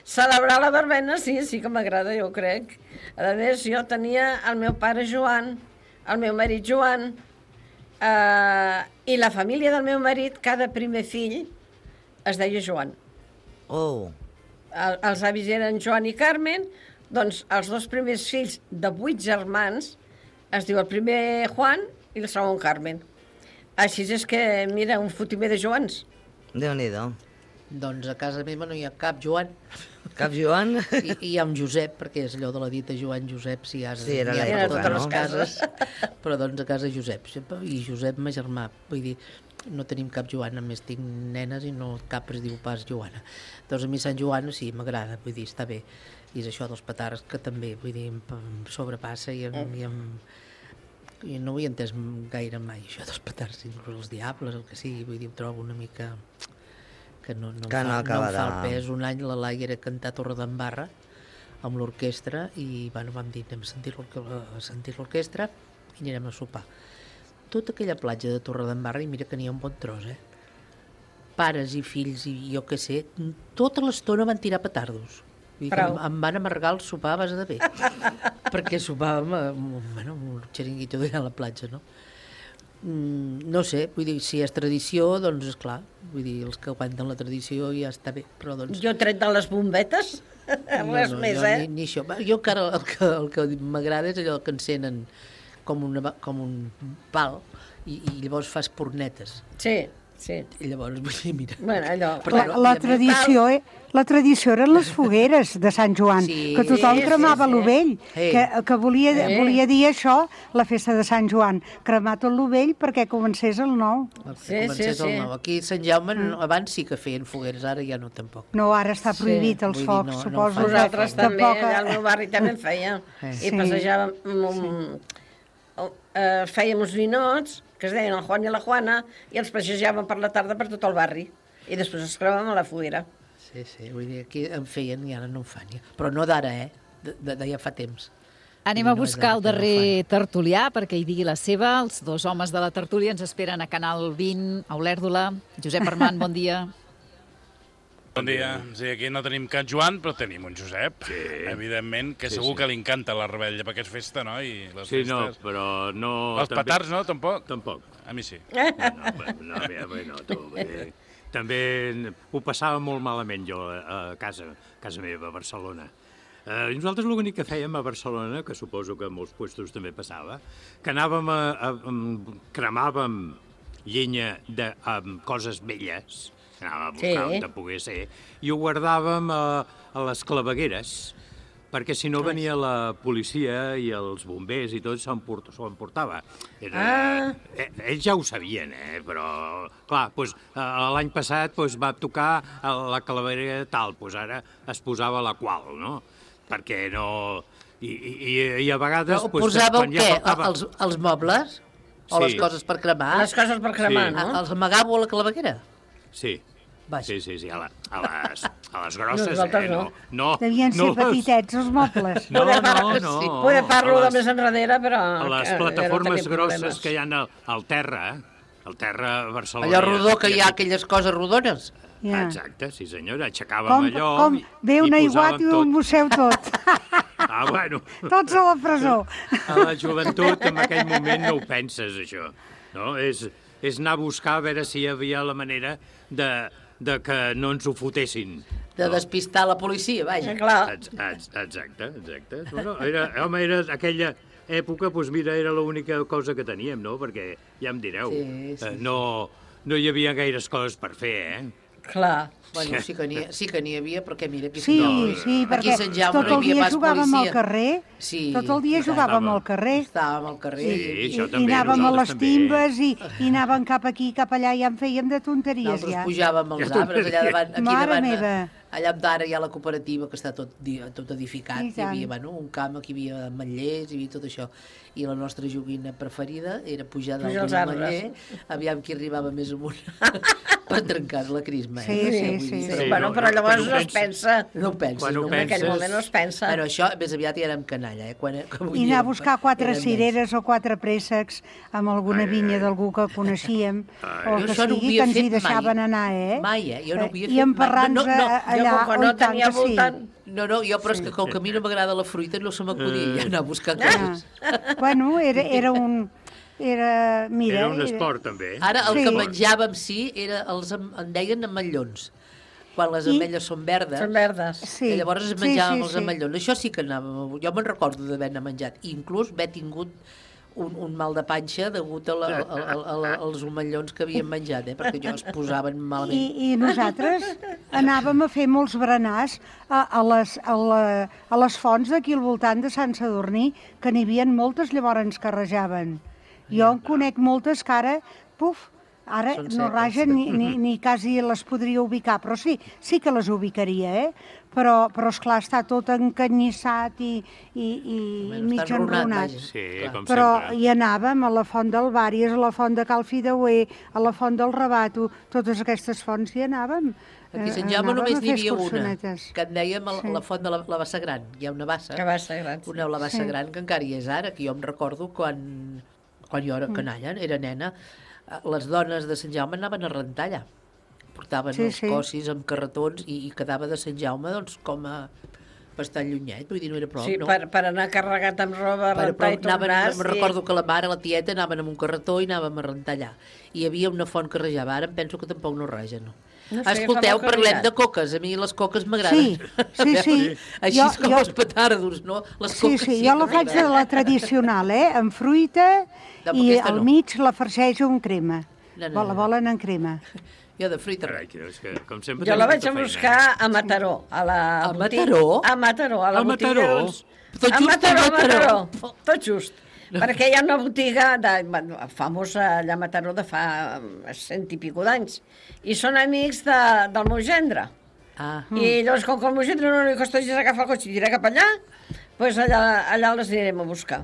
celebrar la verbena sí que m'agrada, jo crec. A més, jo tenia el meu pare Joan, el meu marit Joan, i la família del meu marit, cada primer fill es deia Joan. Els avis eren Joan i Carmen, doncs els dos primers fills de 8 germans es diu el primer Juan i el segon Carmen. Així és que, mira, un fotimer de Joans. Déu-n'hi-do. Doncs a casa meva no hi ha cap Joan. Cap Joan? I hi ha un Josep, perquè és allò de la dita Joan Josep, si has... Sí, era l'època, totes no? les cases, però doncs a casa Josep. I Josep, ma germà, vull dir, no tenim cap Joan, només tinc nenes i no cap es diu pas Joana. Doncs a mi Sant Joan sí, m'agrada, vull dir, està bé. I és això dels petards que també, vull dir, em sobrepassa i no ho he entès gaire mai, això dels petards, inclús els diables, el que sigui, vull dir, ho trobo una mica... que no em fa el pes. Un any la Laia era cantar Torredembarra amb l'orquestra i vam dir anem a sentir l'orquestra i anirem a sopar. Tota aquella platja de Torredembarra, i mira que n'hi ha un bon tros, pares i fills i jo què sé, tota l'estona van tirar petardos. Em van amargar el sopar a base de bé, perquè sopàvem amb un xeringuito d'allà a la platja, no? No sé, vull dir, si és tradició, doncs esclar, vull dir, els que aguanten la tradició ja està bé, però doncs... Jo tret de les bombetes, res més, Ni això. Jo encara el que m'agrada és allò que encenen com un pal i llavors fa espurnetes. Sí. I llavors, vull dir, mira... Bueno, allò... La tradició eren les fogueres de Sant Joan, que tothom cremava l'ovell, que volia dir això, la festa de Sant Joan, cremar tot l'ovell perquè comencés el nou. El nou. Aquí a Sant Jaume abans sí que feien fogueres, ara ja no tampoc. No, ara està prohibit els focs, suposo. Nosaltres també, allà al meu barri també en feia. I passejàvem, fèiem uns ninots, que es deien el Juan i la Juana, i els passejàvem per la tarda per tot el barri. I després es cremàvem a la foguera. Sí, vull dir, aquí en feien i ara no en fan. Però no d'ara, de ja fa temps. Anem a buscar el darrer tertulià perquè hi digui la seva. Els dos homes de la tertúlia ens esperen a Canal 20, a Olèrdola. Josep Armand, bon dia. Bon dia. Sí, aquí no tenim Can Joan, però tenim un Josep. Sí. Evidentment, que segur que li encanta la rebella, perquè és festa, no? I les festes. No, però no... Els petards, no? Tampoc? Tampoc. A mi sí. També ho passava molt malament jo a casa meva, a Barcelona. Nosaltres l'únic que fèiem a Barcelona, que suposo que a molts puestos també passava, que anàvem cremàvem llenya de coses velles, anàvem a buscar on pogués ser, i ho guardàvem a les clavegueres, perquè si no venia la policia i els bombers i tot s'ho emportava. Ells ja ho sabien, però, clar, l'any passat va tocar la clavera tal, ara es posava la qual, no? Perquè no... I a vegades... Però posàveu què? Els mobles? O les coses per cremar? Les coses per cremar, no? Els amagàveu a la claveguera? Sí. Sí, a les grosses, nosaltres no. Devien ser petitets, els mobles. No. Poder parlo de més enrere, però... A les plataformes grosses que hi ha al terra, al terra a Barcelona... Allò rodó que hi ha aquelles coses rodones. Exacte, sí senyora, aixecàvem allò... Com ve un aiguat i ho embosseu tot. Bueno. Tots a la presó. A la joventut, en aquell moment, no ho penses, això. No? És anar a buscar a veure si hi havia la manera de que no ens ho fotessin. De despistar la policia, vaja. Clar. Exacte. Bueno, era aquella època, mira, era l'única cosa que teníem, no? Perquè, ja em direu, no hi havia gaires coses per fer, Clar. Bueno, sí que n'hi havia, perquè mira... Sí, perquè tot el dia jugàvem al carrer. Tot el dia jugàvem al carrer. Estàvem al carrer. I anàvem a les timbes i anàvem cap aquí, cap allà, ja en fèiem de tonteries. Nosaltres pujàvem als arbres, allà davant, aquí Mare meva. Allà d'ara hi ha la cooperativa, que està tot edificat. Hi havia un camp, aquí hi havia ametllers, hi havia tot això. I la nostra joguina preferida era pujar dalt d'un ametller, aviam qui arribava més amunt per trencar la crisma. Sí. Bueno, però llavors no es pensa. No ho penses. En aquell moment no es pensa. Però això més aviat ja érem canalla. I anar a buscar 4 cireres o 4 préssecs amb alguna vinya d'algú que coneixíem, o que sigui, que ens hi deixaven anar, Mai, jo no ho havia fet mai. I emparrant-nos allà on tant que sí. No, jo, però és que com que a mi no m'agrada la fruita, no se m'acudia ja anar a buscar coses. Bueno, era un... Era un esport, també. Ara el que menjàvem, en deien ametllons. Quan les ametlles són verdes. Són verdes. I llavors es menjàvem els ametllons. Això sí que anàvem... Jo me'n recordo d'haver-ne menjat. I inclús haver tingut un mal de panxa degut als omellons que havíem menjat, perquè jo es posaven malament. I nosaltres anàvem a fer molts berenars a les fonts d'aquí al voltant de Sant Sadurní, que n'hi havia moltes, llavors ens carrejaven. Jo en conec moltes que ara, ara no ragen ni quasi les podria ubicar, però sí que les ubicaria, però esclar, està tot encanyissat i mig enrunat. Però hi anàvem a la font del Vàries, a la font de Cal Fideuer, a la font del Rabato, totes aquestes fonts hi anàvem. Aquí a Sant Jaume només n'hi havia una, que en dèiem la font de la Bassa Gran. Hi ha una bassa, la Bassa Gran, que encara hi és ara, que jo em recordo quan jo era canalla, era nena, les dones de Sant Jaume anaven a rentar allà. Portaven els cossis amb carretons i quedava de Sant Jaume com a bastant llunyet, vull dir, no era prou, no? Sí, per anar carregat amb roba, a rentar i tornar. Me'n recordo que la mare, la tieta, anaven amb un carretó i anàvem a rentar allà. I hi havia una font que rejava, ara em penso que tampoc no reja, no? Escolteu, parlem de coques. A mi les coques m'agraden. Sí. Així com els petardos, no? Les coques sí, jo la faig de la tradicional, amb fruita i al mig la farcejo amb crema. La volen en crema. Jo de fruita. Jo la vaig a buscar a Mataró. A Mataró? A Mataró, a la botiga. A Mataró. Tot just. Perquè hi ha una botiga famosa allà a Mataró de fa 100 i pico d'anys. I són amics del meu gendre. I llavors, com que el meu gendre no li costa gens agafar el cotxe i tirar cap allà, doncs allà les anirem a buscar.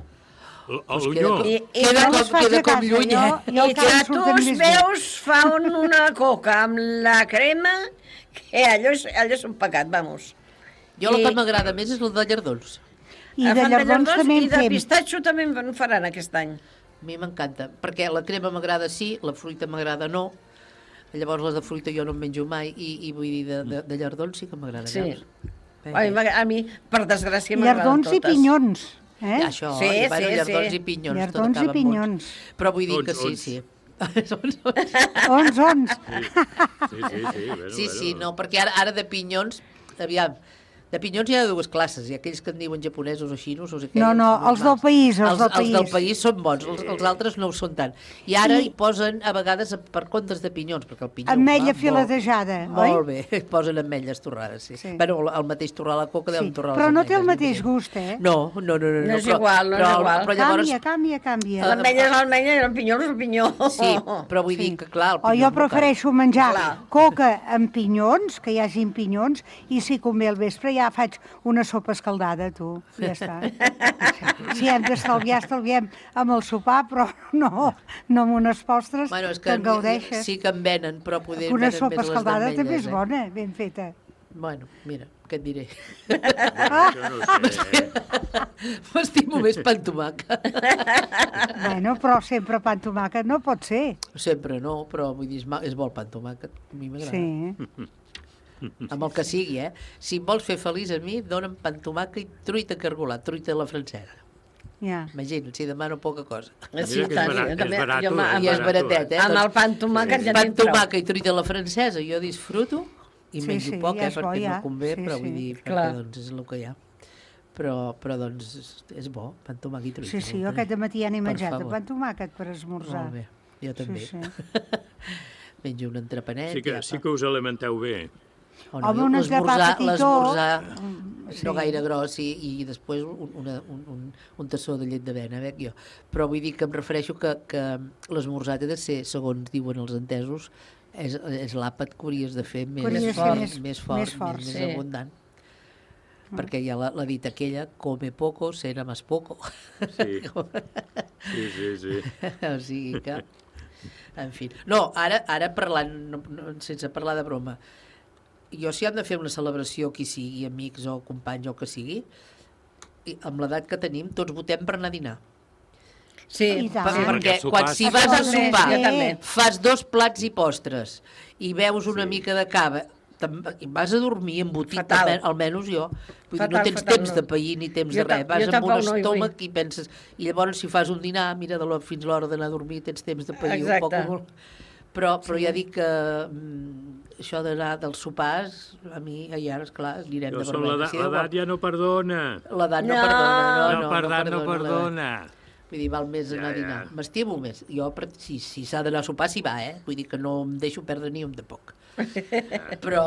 Queda com lluny, I tus veus fan una coca amb la crema, que allò és un pecat, vamos. Jo la que m'agrada més és la de llardons. I de llardons també en I de fem. pistatxo també en faran aquest any. A mi m'encanta, perquè la crema m'agrada sí, la fruita m'agrada no. Llavors les de fruita jo no en menjo mai i vull dir, de llardons sí que m'agrada. Sí. Veus? A mi, per desgràcia, m'agraden Llardons totes. i pinyons. Això, llardons i pinyons. Llardons i pinyons. Però vull dir que sí. Ons. Sí, no, perquè ara de pinyons, aviam, de pinyons hi ha dues classes, hi ha aquells que en diuen japonesos o xinos, o sé què. No, els del país, els del país són bons, els altres no ho són tant. I ara hi posen, a vegades, per comptes de pinyons, perquè el pinyó... Ametlla filetejada, oi? Molt bé, posen ametlles torrades, sí. Bueno, el mateix torrar la coca deu torrar les però ametlles. no té el mateix gust, eh? No. No és igual, no és igual. Però llavors... Canvia. L'ametlla és l'ametlla i el pinyó és el pinyó. Sí, però vull dir que, clar... O jo prefereixo menjar coca amb pinyons, que hi hagin pinyons, i si convé al vespre ja faig una sopa escaldada, tu. Ja està. Si hem d'estalviar, estalviem amb el sopar, però no amb unes postres que en gaudeixes. Sí que en venen, però poder una venen sopa més les escaldada d'ametlles. també és bona, ben feta. Bueno, mira, què et diré? M'estimo més pa amb tomàquet. Bueno, però sempre pa amb tomàquet no pot ser. Sempre no, però vull dir, és bo el pa amb tomàquet. A mi m'agrada. Sí. Amb el que sigui, eh? Si em vols fer feliç a mi, dona'm pa amb tomàquet i truita cargolat, truita a la francesa. Ja. Imagina't, si demano poca cosa. Sí, tant, I és baratet, eh? Amb el pa amb tomàquet ja pa amb tomàquet i truita a la francesa, jo disfruto i menjo poc, ja perquè bo, no convé, però vull dir, perquè doncs és el que hi ha. Però doncs és bo, pa amb tomàquet i truita. Sí, jo aquest matí ja n'he menjat pa amb tomàquet per esmorzar. Molt bé, jo també. Menjo un entrepanet. Sí que us alimenteu bé. Home, un esgarrà petitó. L'esmorzar no gaire gros i després un tassó de llet d'avena, veig jo. Però vull dir que em refereixo que l'esmorzar té de ser, segons diuen els entesos, és l'àpat que hauries de fer més fort, més abundant. Perquè hi ha la dita aquella, come poco, será más poco. Sí. O sigui que... En fi. No, ara parlant, sense parlar de broma, jo si han de fer una celebració, qui sigui, amics o companys o que sigui, amb l'edat que tenim, tots votem per anar a dinar. Sí, perquè si vas a sopar, fas 2 plats i postres i veus una mica de cava, i vas a dormir embotit, almenys jo. Vull dir, no tens temps de pair ni temps de res. Vas amb un estómac i penses... I llavors, si fas un dinar, mira, fins l'hora d'anar a dormir, tens temps de pair un poc o molt. Però ja dic que això d'anar dels sopars, a mi, ja, esclar, anirem de vermell. L'edat ja no perdona. L'edat no perdona. Vull dir, val més anar a dinar. M'estimo més. Jo, si s'ha d'anar a sopar, s'hi va, eh? Vull dir que no em deixo perdre ni un de poc. Però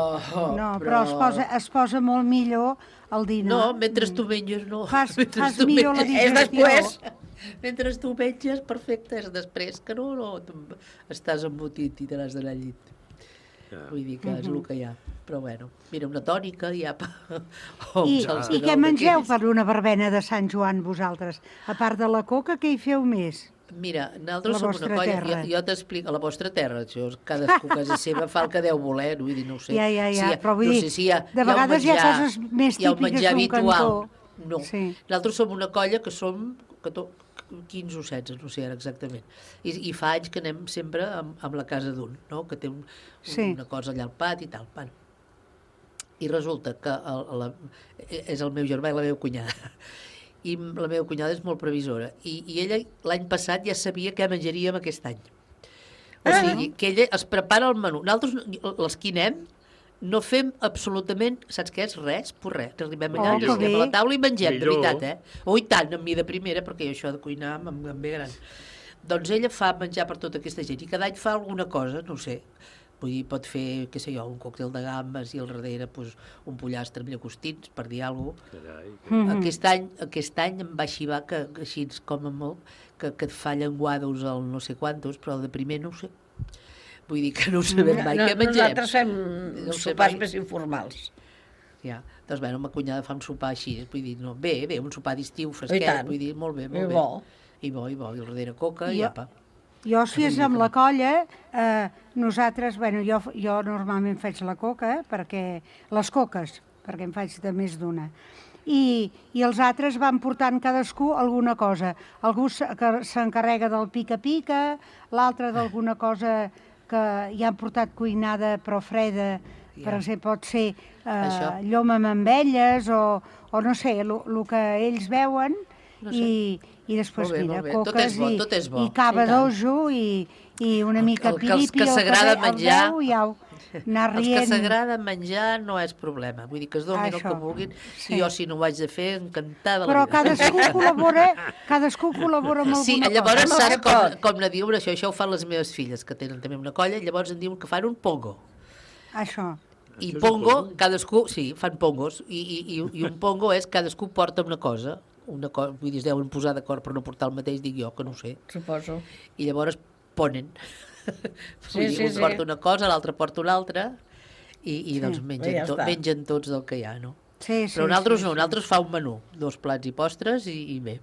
es posa molt millor el dinar. No, mentre tu menges, no. Fas millor la digestió. Mentre tu menges, perfecte, és després, que no estàs embotit i te n'has d'anar al llit. Vull dir que és el que hi ha. Però bueno, mira, una tònica i apa. I què mengeu per una verbena de Sant Joan, vosaltres? A part de la coca, què hi feu més? Mira, nosaltres som una colla, jo t'explico, a la vostra terra, això, cadascú a casa seva fa el que deu voler, vull dir, no ho sé. Ja, però vull dir, de vegades hi ha coses més típiques d'un cantó. No, nosaltres som una colla que som 15 o 16, no sé ara exactament. I fa anys que anem sempre amb la casa d'un, no? Que té una cosa allà al pati i tal. Bueno. I resulta que és el meu germà i la meva cunyada. I la meva cunyada és molt previsora. I ella l'any passat ja sabia què menjaríem aquest any. O sigui, que ella es prepara el menú. Nosaltres, els que anem, no fem absolutament, saps què és? Res, per res. Arribem allà, ens estem a la taula i mengem, de veritat, eh? I tant, amb mi de primera, perquè jo això de cuinar em ve gran. Doncs ella fa menjar per tota aquesta gent i cada any fa alguna cosa, no sé. Vull dir, pot fer, què sé jo, un còctel de gambes i al darrere un pollastre amb llagostins, per dir alguna cosa. Aquest any em va xivar que així com a molt, que et fa llenguados al no sé quantos, però de primer no ho sé. Vull dir que no ho sabem mai. Què mengem? Nosaltres fem sopars més informals. Ja, doncs bé, ma cunyada fa un sopar així, vull dir, no, bé, un sopar d'estiu fresquet, vull dir, molt bé, molt bé. I bo, i al darrere coca i apa. Jo, si és amb la colla, nosaltres, bueno, jo normalment faig la coca, perquè les coques, perquè en faig de més d'una. i els altres van portant cadascú alguna cosa. Algú s'encarrega del pica-pica, l'altre d'alguna cosa que ja han portat cuinada però freda, per exemple, pot ser llom amb ametlles o no sé, el que ells veuen, i després, mira, coques i cava d'ojo i una mica piripi, que s'agrada menjar, anar rient. Els que s'agrada menjar no és problema, vull dir que es donin el que vulguin, i jo si no ho haig de fer, encantada però cadascú col·labora amb alguna cosa. Sí, llavors saps com ne diuen això ho fan les meves filles, que tenen també una colla, i llavors en diuen que fan un pongo. Això. I pongo, cadascú, sí, fan pongos, i un pongo és cadascú porta una cosa, vull dir, es deuen posar d'acord per no portar el mateix, dic jo, que no ho sé. Suposo. I llavors ponen. Un porta una cosa, l'altre porta una altra, i doncs mengen tots del que hi ha, no? Però nosaltres no, nosaltres fa un menú, 2 plats i postres i bé.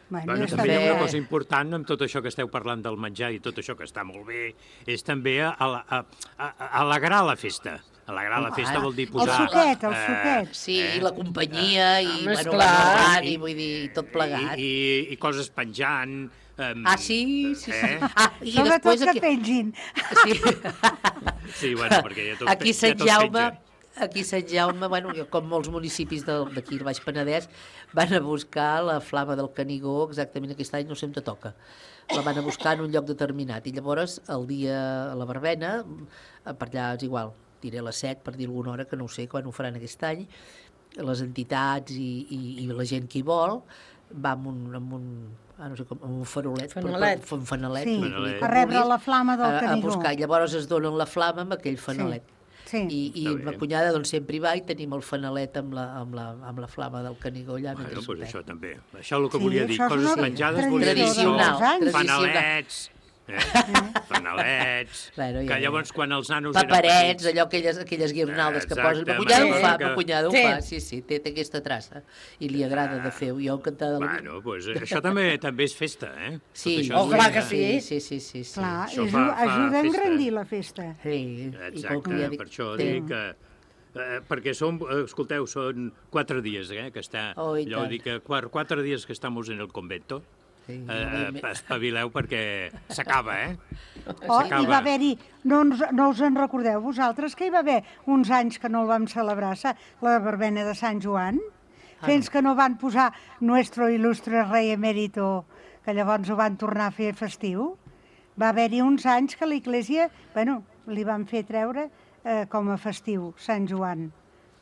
Bueno, també hi ha una cosa important amb tot això que esteu parlant del menjar i tot això que està molt bé, és també alegrar la festa. Alegrar la festa vol dir posar... El suquet. Sí, i la companyia, i radi, vull dir, tot plegat. I coses penjant... Sí. Sobretot que pengin. Sí, bueno, perquè ja tot aquí Sant Jaume, bueno, com molts municipis d'aquí al Baix Penedès, van a buscar la flama del Canigó, exactament aquest any, no sé on te toca. La van a buscar en un lloc determinat. I llavors, el dia a la verbena, per allà és igual, diré a les 7, per dir alguna hora, que no ho sé quan ho faran aquest any, les entitats i la gent que hi vol, va amb un farolet, un fanalet, a rebre la flama del Canigó. A buscar. Llavors es donen la flama amb aquell fanalet. I ma cunyada doncs sempre hi va i tenim el fanalet amb la flama del Canigó allà. Bueno, doncs això també. Això és el que volia dir. Coses menjades volia dir fanalets, fanalets, que llavors quan els nanos eren paperets, allò, aquelles guirnaldes que posen. Ma cunyada ho fa, sí, té aquesta traça i li agrada de fer. Jo encantada de la vida. Bueno, doncs això també és festa, eh? Sí, clar que sí. Sí. Clar, ajuda a engrandir la festa. Sí. Exacte, per això dic que... perquè escolteu, són 4 dies que està... Jo dic que 4 dies que estem en el convento. Espavileu perquè s'acaba, Hi va haver-hi, no us en recordeu vosaltres, que hi va haver uns anys que no el vam celebrar, la verbena de Sant Joan, fins que no van posar Nuestro il·lustre rei emèrito, que llavors ho van tornar a fer festiu. Va haver-hi uns anys que l'Església, li van fer treure com a festiu, Sant Joan.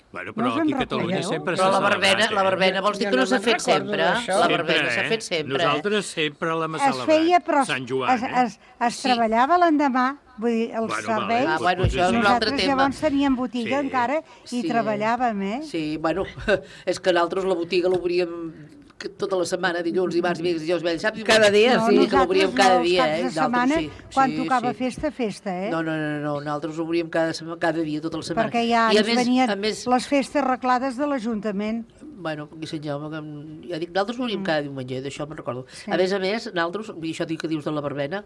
Bueno, però aquí a Catalunya sempre s'ha celebrat. La verbena vols dir que no s'ha fet sempre? La verbena s'ha fet sempre. Nosaltres sempre l'hem celebrat. Es feia, però es treballava l'endemà, vull dir, els serveis. Això és un altre tema. Nosaltres llavors teníem botiga encara i treballàvem, Sí, bueno, és que nosaltres la botiga l'obríem tota la setmana, dilluns, dimarts, dimecres, dijous, vells, saps? Cada dia, sí. Que l'obríem cada dia, els caps de setmana, quan tocava festa, No, nosaltres obríem cada dia, tota la setmana. Perquè ja ens venien les festes arreglades de l'Ajuntament. Bueno, aquí Sant Jaume, ja dic, nosaltres obríem cada diumenge, d'això me'n recordo. A més, nosaltres, això que dius de la verbena,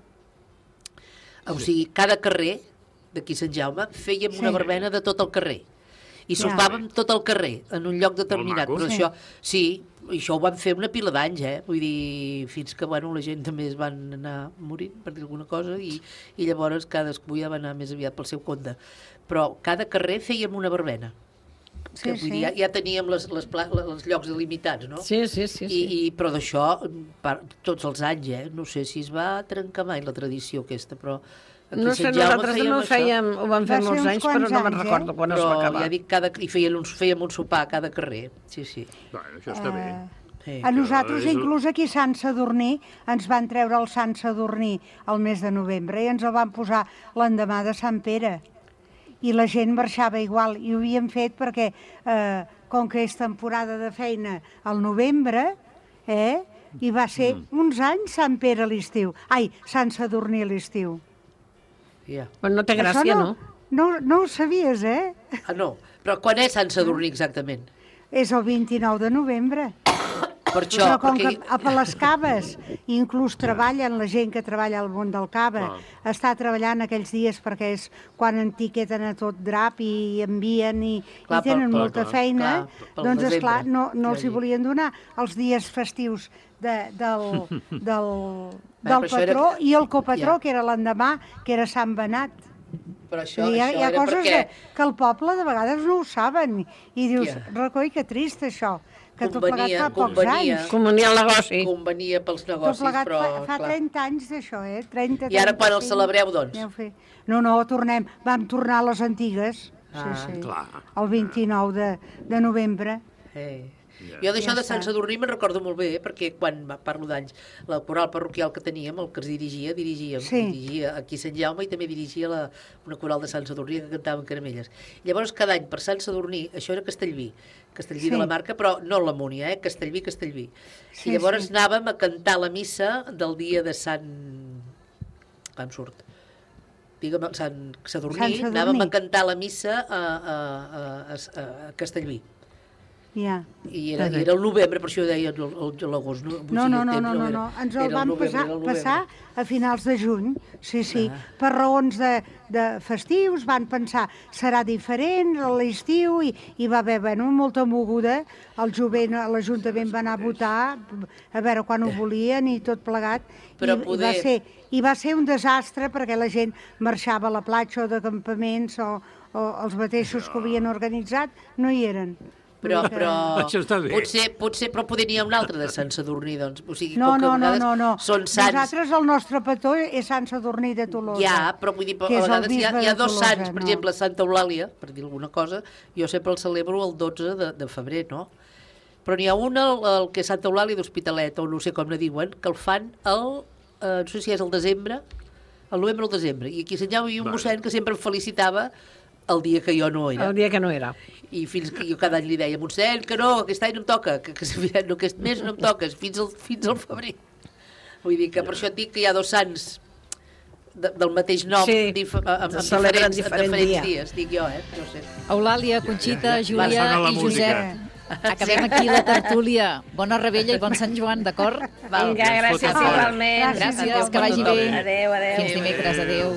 o sigui, cada carrer d'aquí Sant Jaume fèiem una verbena de tot el carrer. I sopàvem tot el carrer, en un lloc determinat. Però això, sí, això ho van fer una pila d'anys, Vull dir, fins que, la gent també es van anar morint, per dir alguna cosa, i llavors cadascú ja va anar més aviat pel seu compte. Però cada carrer fèiem una verbena. Vull dir, ja teníem els llocs delimitats, no? Sí. Però d'això, tots els anys, no sé si es va trencar mai la tradició aquesta, però... No sé, nosaltres no ho vam fer molts anys, però no me'n recordo quan es va acabar. Ja dic, i fèiem un sopar a cada carrer, sí. Bueno, això està bé. A nosaltres, inclús aquí a Sant Sadurní, ens van treure el Sant Sadurní al mes de novembre i ens el van posar l'endemà de Sant Pere. I la gent marxava igual, i ho havíem fet perquè, com que és temporada de feina al novembre, i va ser uns anys Sant Pere a l'estiu. Sant Sadurní a l'estiu. Però no té gràcia, no? No ho sabies, No, però quan és Sant Sadurní exactament? És el 29 de novembre. Per això, Però com perquè... que per les caves inclús treballen, la gent que treballa al món del cava està treballant aquells dies perquè és quan etiqueten a tot drap i envien i tenen molta feina, doncs esclar, no els hi volien donar els dies festius del patró i el copatró, que era l'endemà, que era Sant Benat. Però això Hi ha era coses perquè... que el poble de vegades no ho saben i dius, recoi, que trist això, que tot plegat fa pocs anys. Convenia el negoci. Convenia pels Tot negocis, plegat però... fa 30 anys d'això, 30, I ara quan el 35. celebreu, doncs? No, tornem. Vam tornar a les antigues, el 29 de novembre. Jo d'això de Sant Sadurní me'n recordo molt bé, perquè quan parlo d'anys, la coral parroquial que teníem, el que es dirigia aquí a Sant Jaume i també dirigia una coral de Sant Sadurní que cantaven caramelles. Llavors, cada any, per Sant Sadurní, això era Castellví de la Marca, però no la Múnia, Castellví. I llavors anàvem a cantar la missa del dia de Sant... Com surt? Digue'm, Sant Sadurní, anàvem a cantar la missa a Castellví. Ja. I era el novembre, per això deia l'agost. No, ens el vam passar a finals de juny, sí. Per raons de festius van pensar serà diferent a l'estiu i va haver molta moguda. El jovent, l'Ajuntament va anar a votar a veure quan ho volien i tot plegat. I va ser un desastre perquè la gent marxava a la platja o de campaments o els mateixos que ho havien organitzat no hi eren. Però això està bé. potser però poder n'hi ha un altre de Sant Sadurní, doncs. O sigui, No. Són sants. Nosaltres, el nostre petó és Sant Sadurní de Tolosa. Ja, però vull dir, a vegades hi ha dos sants, per exemple, Santa Eulàlia, per dir alguna cosa, jo sempre el celebro el 12 de febrer, no? Però n'hi ha un, el que és Santa Eulàlia d'Hospitalet, o no sé com ne diuen, que el fan no sé si és el desembre, el novembre o el desembre, i aquí a Sant Jaume hi ha un mossèn que sempre em felicitava el dia que jo no era. El dia que no era. I fins que jo cada any li deia, mossèn, que no, aquest any no em toca, que aquest mes no em toques, fins al febrer. Vull dir que per això et dic que hi ha dos sants del mateix nom amb diferents dies, dic jo, no sé. Eulàlia, Conxita, Júlia i Josep. Acabem aquí la tertúlia. Bona rebella i bon Sant Joan, d'acord? Vinga, gràcies igualment. Gràcies, que vagi bé. Adéu. Fins dimecres, adéu.